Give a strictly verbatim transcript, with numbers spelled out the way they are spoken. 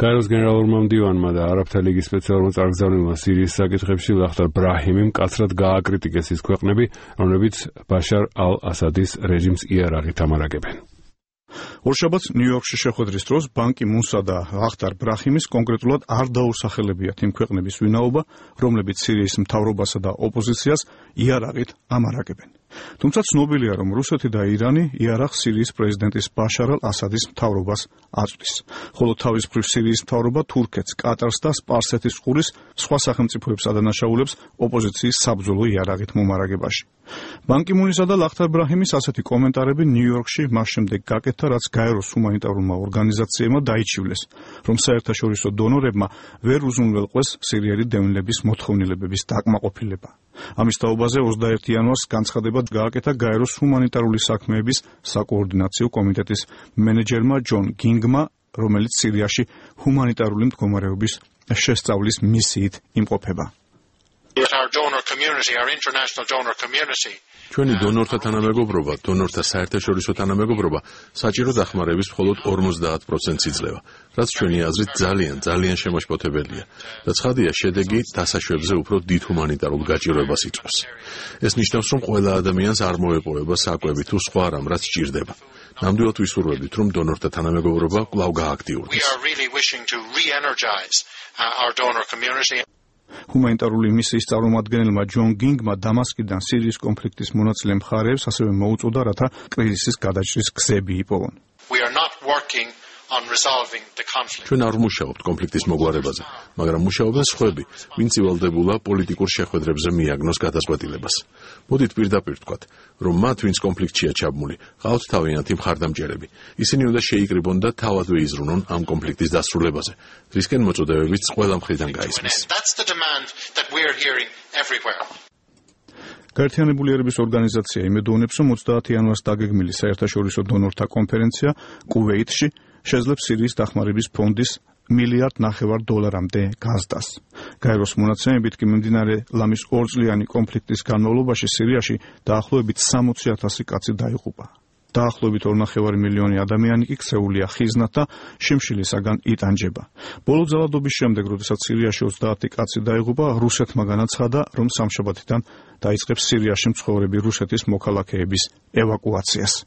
გაეროს გენერალურმა მდივანმა და არაბთა ლიგის სპეციალურმა წარგზავნილმა სირიის საკითხებში ლახტარ ბრაჰიმი მკაცრად გააკრიტიკეს ის ქვეყნები, რომლებიც ბაშარ ალ-ასადის რეჟიმს იარაღით ამარაგებენ. ორშაბათს ნიუ-იორკში შეხვედრის დროს ბან კი მუნსა და ლახტარ ბრაჰიმის კონკრეტულად არ დაუსახელებიათ იმ ქვეყნების ვინაობა, რომლებიც სირიის მთავრობასა და ოპოზიციას იარაღით ამარაგებენ. თუმცა ცნობილია, რომ რუსეთი და ირანი იარაღს სირიის პრეზიდენტის ბაშარ ალ-ასადის მთავრობას აწვდის, ხოლო თავის მხრივ სირიის მთავრობა თურქეთს, კატარს და სპარსეთის ყურის სხვა სახელმწიფოებს ადანაშაულებს ოპოზიციის საბრძოლო იარაღით მომარაგებაში. ბან კი მუნისა და ლახტარ ბრაჰიმის ასეთი კომენტარები ნიუ-იორკში მას შემდეგ გაკეთა, რაც გაეროს ჰუმანიტარულმა ორგანიზაციებმა დაიჩივლეს, რომ საერთაშორისო დონორებმა ვერ უზრუნველყვეს სირიელი დევნილების მოთხოვნილებების დაკმაყოფილება. ამის თაობაზე ოცდაერთი იანვარს განცხადება გააკეთა გაეროს ჰუმანიტარული საქმეების საკოორდინაციო კომიტეტის მენეჯერმა ჯონ გინგმა, რომელიც სირიაში ჰუმანიტარული მდგომარეობის შესწავლის მისიით იმყოფება. ჩვენი დონორთა თანამეგობრობა, დონორთა საერთაშორისო თანამეგობრობა საჭირო დახმარების მხოლოდ ორმოცდაათ პროცენტს იძლევა, რაც ჩვენი აზრით ძალიან, ძალიან შემაშფოთებელია და ცხადია, შედეგი დასაშვებზე უფრო დიდ ჰუმანიტარულ გაჭირვებას იწვევს. ეს ნიშნავს, რომ ყველა ადამიანს არ მოეპოვება საკვები თუ სხვა რამ, რაც სჭირდება. ნამდვილად ვისურვებდით, რომ დონორთა თანამეგობრობა კვლავ გააქტიურდეს. ჰუმანიტარული მისიის წარმომადგენელმა ჯონ გინგმა დამასკიდან სირიის კონფლიქტის მონაწილე მხარეებს ასევე მოუწოდა, რათა კრიზისის გადაჭრის გზები იპოვონ. ჩვენ არ ვმუშაობთ კონფლიქტის მოგვარებაზე, მაგრამ მუშაობენ სხვები, ვინც ივალდებულა პოლიტიკურ შეხვედრებზე მიაგნოს გადაწყვეტილებას. მოდით პირდაპირ ვთქვათ, რომ მათ, ვინც კონფლიქტშია ჩაბმული, ყავთ თავიანთი მხარდამჭერები. ისინი უნდა შეიკრიბონ და თავად ვეიზრუნონ ამ კონფლიქტის დასრულებაზე, რისკენ მოწოდებებიც ყველა მხრიდან გაისმის. გაერთიანებული ერების ორგანიზაცია იმედოვნებს, რომ ოცდაათი იანვარს დაგეგმილი საერთაშორისო დონორთა კონფერენცია კუვეითში შეძლებს სირიის დახმარების ფონდის მილიარდ ნახევარ დოლარამდე გაზრდას. გაეროს მონაცემებით კი მიმდინარე ლამის ორწლიანი კონფლიქტის განმავლობაში სირიაში დაახლოებით სამოცი ათასი კაცი დაიღუპა. დაახლოებით ორნახევარი მილიონი ადამიანი კი ქცეულია ხიზნად და შიმშილისაგან იტანჯება. ბოლო ძალადობის შემდეგ, როდესაც სირიაში ოცდაათი კაცი დაიღუპა, რუსეთმა განაცხადა, რომ სამშაბათიდან დაიწყებს სირიაში მცხოვრები რუსეთის მოქალაქეების ევაკუაციას.